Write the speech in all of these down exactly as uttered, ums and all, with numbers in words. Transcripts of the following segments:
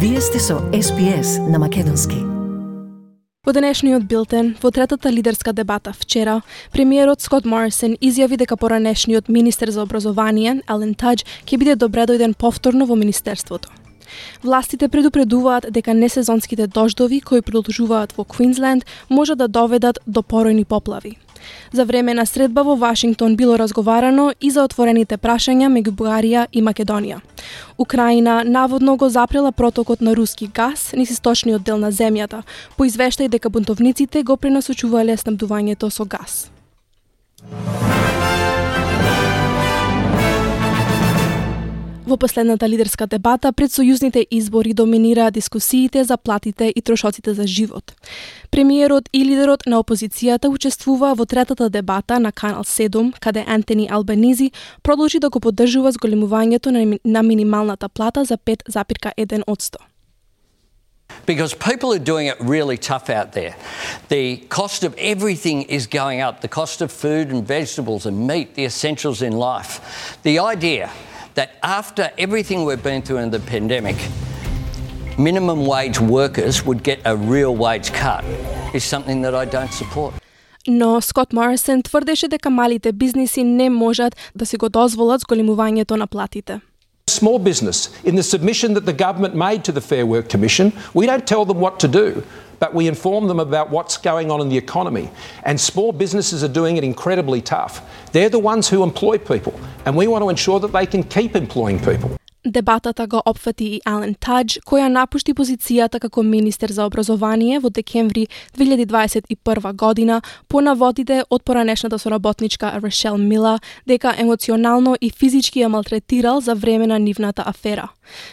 Вие сте со Ес Би Ес на македонски. Во денешниот билтен, во третата лидерска дебата вчера, премиерот Скот Морисон изјави дека поранешниот министер за образование, Ален Тадж, ќе биде добредојден повторно во министерството. Властите предупредуваат дека несезонските дождови кои продолжуваат во Квинсленд може да доведат до поројни поплави. За време на средба во Вашингтон било разговарано и за отворените прашања меѓу Бугарија и Македонија. Украина наводно го запрела протокот на руски газ низ источниот дел на земјата, по извештај дека бунтовниците го пренасочувале снабдувањето со газ. Во последната лидерска дебата пред сојузните избори доминираа дискусиите за платите и трошоците за живот. Премиерот и лидерот на опозицијата учествуваа во третата дебата на Канал седум, каде Антони Албанизи продолжи да го поддржува зголемувањето на минималната плата за пет зарез еден одсто. Because people are doing it really tough out there. The cost of everything is going up. The cost of food and vegetables and meat, the essentials in life. The idea that after everything we've been through in the pandemic, minimum wage workers would get a real wage cut is something that I don't support. Но Скот Морисон тврдеше дека малите бизниси не можат да си го дозволат зголемувањето на платите. Small business, in the submission that the government made to the Fair Work Commission, we don't tell them what to do, but we inform them about what's going on in the economy. And small businesses are doing it incredibly tough. They're the ones who employ people, and we want to ensure that they can keep employing people. Дебатата го опфати и Ален Тадж, која напушти позицијата како министер за образование во декември две илјади дваесет и прва година по наводите од поранешната соработничка Рашел Мила дека емоционално и физички ја малтретирал за време на нивната афера.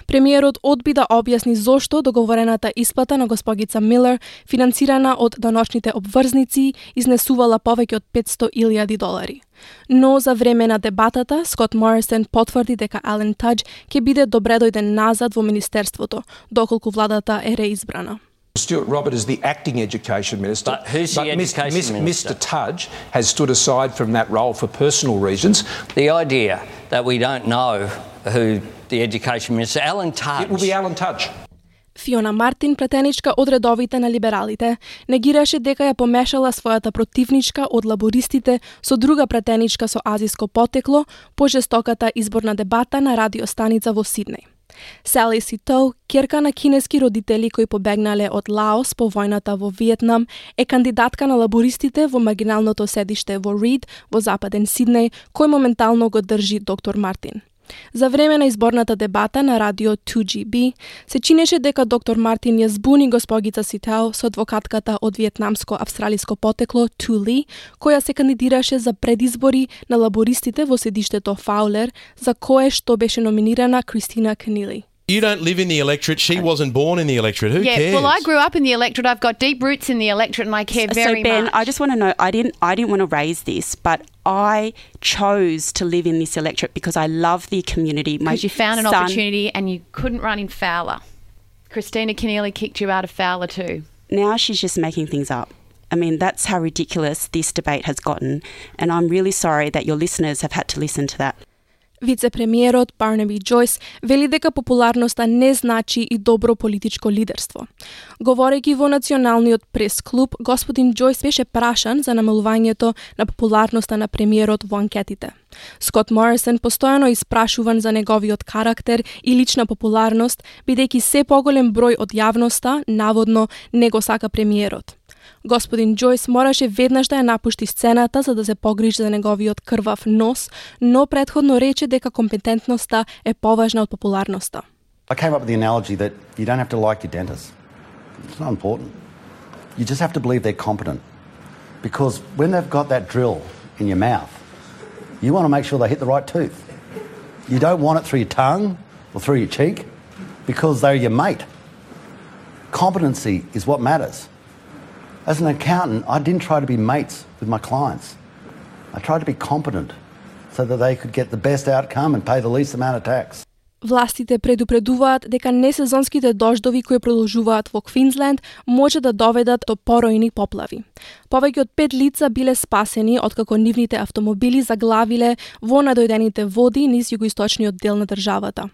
Премиерот одби да објасни зошто договорената исплата на госпогица Милер, финансирана од даночните обврзници, изнесувала повеќе од петсто илјади долари. Но за време на дебатата, Скот Морисон потврди дека Ален Тадж ќе биде добредојден назад во министерството, доколку владата е реизбрана. Stuart Robert is the acting education minister. But who's the education Mister minister? Mister Tudge has stood aside from that role for personal reasons. The idea that we don't know who the education minister, Alan Tudge. It will be Alan Tudge. Фиона Мартин, претеничка од редовите на либералите, негираше дека ја помешала својата противничка од лабористите со друга претеничка со азиско потекло по жестоката изборна дебата на радиостаница во Сиднеј. Сали Ситоу, ќерка на кинески родители кои побегнале од Лаос по војната во Виетнам, е кандидатка на лабористите во маргиналното седиште во Рид во западен Сиднеј, кој моментално го држи доктор Мартин. За време на изборната дебата на радио two G B се чинеше дека доктор Мартин ја збуни госпогица Ситао со адвокатката од виетнамско-австралиско потекло Ту Ли, која се кандидираше за предизбори на лабористите во седиштето Фаулер, за кое што беше номинирана Кристина Кенили. You don't live in the electorate. She wasn't born in the electorate. Who yeah, cares? well, I grew up in the electorate. I've got deep roots in the electorate, and I care very so Ben, much. I just want to know. I didn't. I didn't want to raise this, but I chose to live in this electorate because I love the community. My Because you found an son, opportunity and you couldn't run in Fowler. Christina Keneally kicked you out of Fowler too. Now she's just making things up. I mean, that's how ridiculous this debate has gotten, and I'm really sorry that your listeners have had to listen to that. Вице-премиерот Барнаби Џојс вели дека популарноста не значи и добро политичко лидерство. Говорејќи во националниот прес-клуб, господин Џојс беше прашан за намалувањето на популарноста на премиерот во анкетите. Скот Морисон постојано испрашуван за неговиот карактер и лична популарност, бидејќи се поголем број од јавноста наводно не го сака премиерот. Господин Џојс мораше веднаш да ја напушти сцената за да се погрижи за неговиот крвав нос, но претходно рече дека компетентноста е поважна од популарноста. I came up with the analogy that you don't have to like your dentist. It's not important. You just have to believe they're competent. Because when they've got that drill in your mouth, you want to make sure they hit the right tooth. You don't want it through your tongue or through your cheek because they're your mate. Competency is what matters. As an accountant, I didn't try to be mates with my clients. I tried to be competent so that they could get the best outcome and pay the least amount of tax. Властите предупредуваат дека несезонските дождови кои продолжуваат во Квинсленд може да доведат до поројни поплави. Повеќе од пет лица биле спасени откако нивните автомобили заглавиле во надојдените води низ југоисточниот дел на државата.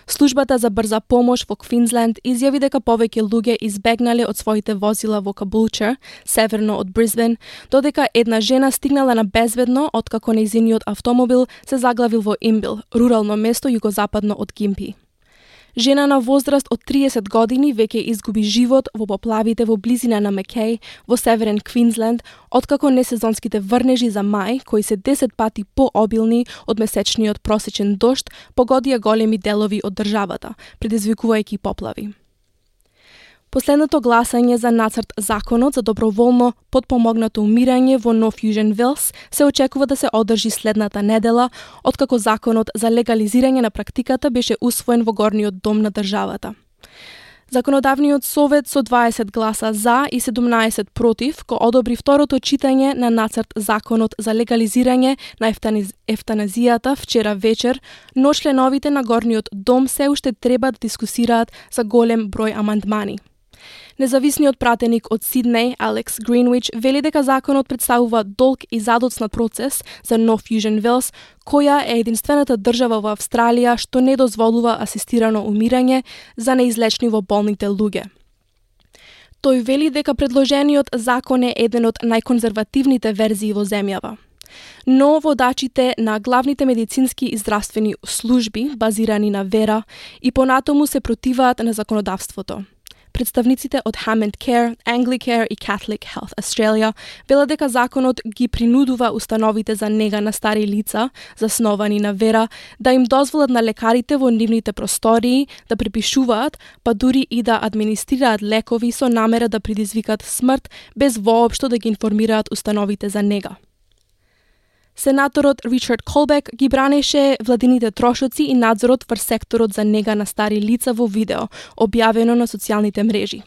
Службата за брза помош во Квинсленд изјави дека повеќе луѓе избегнале од своите возила во Кабулчер, северно од Брисбен, додека една жена стигнала на безбедно откако нејзиниот автомобил се заглавил во Имбил, рурално место југозападно од Гимпи. Жена на возраст од триесет години веќе изгуби живот во поплавите во близина на Мекеј во северен Квинсленд, откако несезонските врнежи за мај, кои се десет пати пообилни од месечниот просечен дожд, погодија големи делови од државата, предизвикувајќи поплави. Последното гласање за нацрт законот за доброволно подпомогнато умирање во Нов Јужен Велс се очекува да се одржи следната недела, откако законот за легализирање на практиката беше усвоен во горниот дом на државата. Законодавниот совет со дваесет гласа за и седумнаесет против го одобри второто читање на нацрт законот за легализирање на ефтаниз... ефтаназијата вчера вечер, но членовите на горниот дом се уште треба да дискусираат за голем број амандмани. Независниот пратеник од Сиднеј, Алекс Гринвич, вели дека законот представува долг и задоцнат процес за Нов Јужен Велс, која е единствената држава во Австралија што не дозволува асистирано умирање за неизлечни во болните луѓе. Тој вели дека предложениот закон е еден од најконзервативните верзии во земјава. Но водачите на главните медицински и здравствени служби, базирани на вера, и понатаму се противаат на законодавството. Представниците од Hammond Care, Anglicare и Catholic Health Australia велат дека законот ги принудува установите за нега на стари лица, засновани на вера, да им дозволат на лекарите во нивните простории да препишуваат, па дури и да администрираат лекови со намера да предизвикат смрт, без воопшто да ги информираат установите за нега. Сенаторот Ричард Колбек ги бранеше владините трошоци и надзорот врз секторот за нега на стари лица во видео, објавено на социјалните мрежи.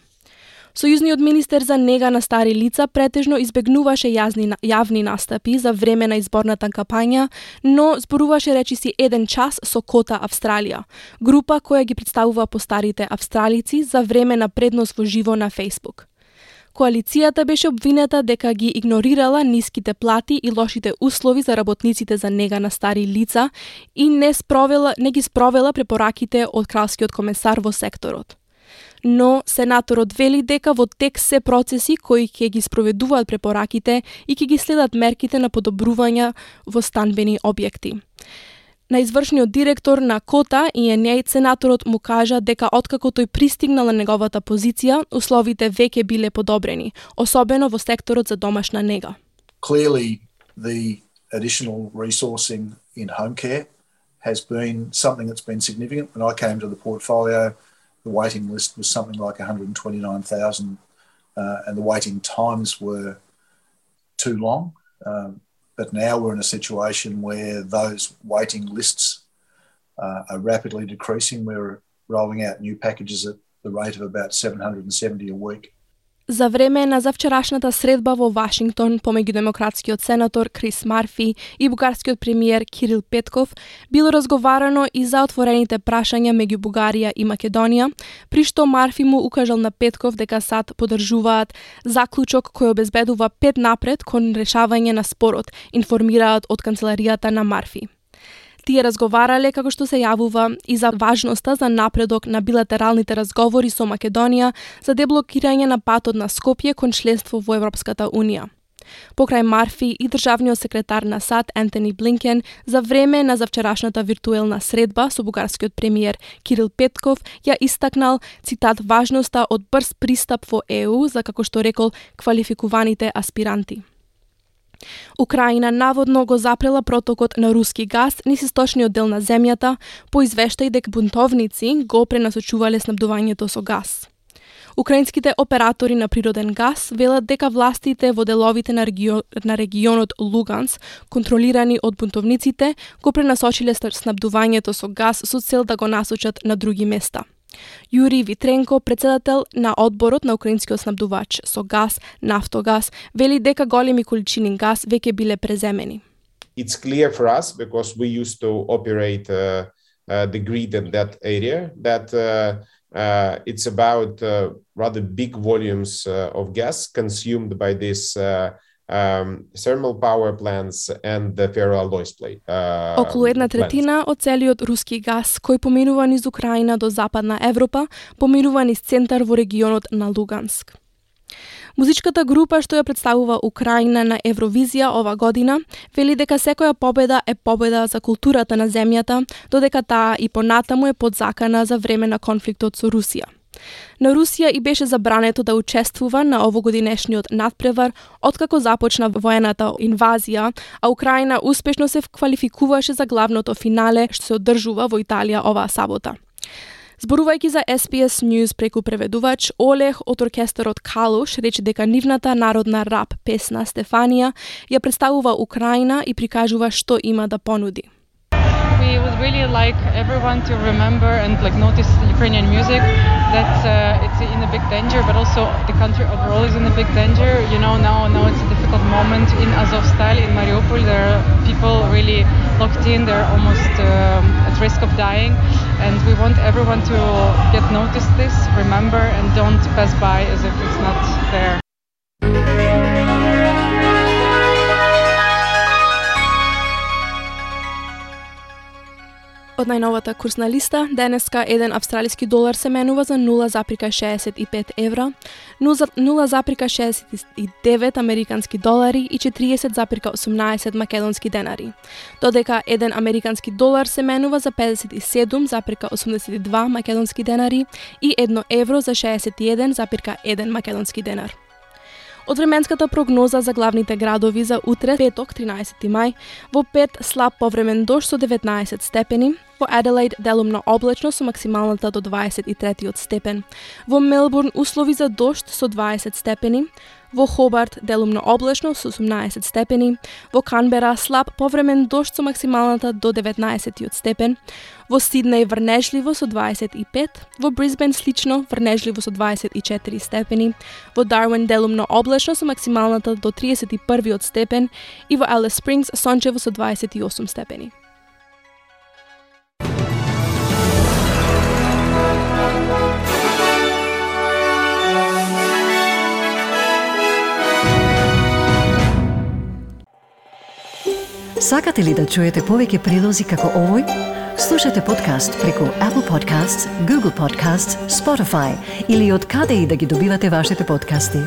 Сојузниот министер за нега на стари лица претежно избегнуваше јазни, јавни настапи за време на изборната кампања, но зборуваше речиси еден час со Кота Австралија, група која ги представува постарите австралици за време на преднос во живо на Facebook. Коалицијата беше обвинета дека ги игнорирала ниските плати и лошите услови за работниците за нега на стари лица и не спровела, не ги спровела препораките од кралскиот комесар во секторот. Но сенаторот вели дека во тек се процеси кои ќе ги спроведуваат препораките и ќе ги следат мерките на подобрување во станбени објекти. На извршниот директор на Кота и Енеј сенаторот му кажа дека откако тој пристигнал на неговата позиција, условите веќе биле подобрени, особено во секторот за домашна нега. Clearly, the additional resourcing in home care has been something that's been significant. When I came to the portfolio, the waiting list was something like one hundred twenty-nine thousand, uh, and the waiting times were too long. Um, But now we're in a situation where those waiting lists uh, are rapidly decreasing. We're rolling out new packages at the rate of about seven hundred seventy a week. За време на завчерашната средба во Вашингтон помеѓу демократскиот сенатор Крис Марфи и бугарскиот премиер Кирил Петков било разговарано и за отворените прашања меѓу Бугарија и Македонија, при што Марфи му укажал на Петков дека САД подржуваат заклучок кој обезбедува пет напред кон решавање на спорот, информираат од канцеларијата на Марфи. Тие разговарале, како што се јавува, и за важноста за напредок на билатералните разговори со Македонија за деблокирање на патот на Скопје кон членство во Европската Унија. Покрај Марфи и државниот секретар на САД Ентони Блинкен за време на завчерашната виртуелна средба со бугарскиот премиер Кирил Петков ја истакнал, цитат, важноста од брз пристап во Е У за, како што рекол, квалификуваните аспиранти. Украина наводно го запрела протокот на руски газ низ источниот дел на земјата, по извештај дека бунтовници го пренасочувале снабдувањето со газ. Украинските оператори на природен газ велат дека властите во деловите на, регион, на регионот Луганс, контролирани од бунтовниците, го пренасочиле снабдувањето со газ со цел да го насочат на други места. Јури Витренко, председател на одборот на украинскиот снабдувач со газ, Нафтогаз, вели дека големи количини газ веќе биле преземени. It's clear for us because we used to operate uh, uh, the grid in that area that uh, uh, it's about uh, rather big volumes uh, of gas consumed by these uh, um, thermal power plants and the ferroalloys plate. Uh, Околу една третина од целиот руски газ кој поминува низ Украина до Западна Европа, поминува низ центар во регионот на Луганск. Музичката група што ја представува Украина на Евровизија ова година вели дека секоја победа е победа за културата на земјата, додека таа и понатаму е подзакана за време на конфликтот со Русија. На Русија и беше забрането да учествува на овогодинешниот надпревар откако започна воената инвазија, а Украина успешно се квалификуваше за главното финале што се одржува во Италија оваа сабота. Зборувајќи за Ес Би Ес News преку преведувач, Олег од оркестарот Калуш рече дека нивната народна рап песна Стефанија ја представува Украина и прикажува што има да понуди. We would really like everyone to remember and like notice Ukrainian music that uh, it's in a big danger, but also the country overall is in a big danger. You know, now now it's a difficult moment in Azovstal, in Mariupol. There are people really locked in. They're almost um, at risk of dying, and we want everyone to get noticed this, remember, and don't pass by as if it's not there. Од најновата курсна листа, денеска еден австралиски долар се менува за нула запирка шеесет и пет евра, нула запирка шеесет и девет американски долари и четириесет запирка осумнаесет македонски денари, додека еден американски долар се менува за педесет и седум запирка осумдесет и два македонски денари и едно евро за шеесет и еден запирка еден македонски денар. Од временската прогноза за главните градови за утре, петок, тринаесети мај, во Пет слаб повремен дожд со деветнаесет степени, во Аделаид делумно облачно со максималната до дваесет и третиот степен, во Мелбурн услови за дожд со дваесет степени, во Хобарт делумно облачно со осумнаесет степени, во Канбера слаб повремен дожд со максималната до деветнаесеттиот степен, во Сиднеј врнежливо со дваесет и пет, во Брисбен слично врнежливо со дваесет и четири степени, во Дарвин делумно облачно со максималната до триесет и првиот степен и во Алис Спрингс сончево со дваесет и осум степени. Сакате ли да чуете повеќе прилози како овој? Слушате подкаст преку Apple Podcasts, Google Podcasts, Spotify или од каде и да ги добивате вашите подкасти.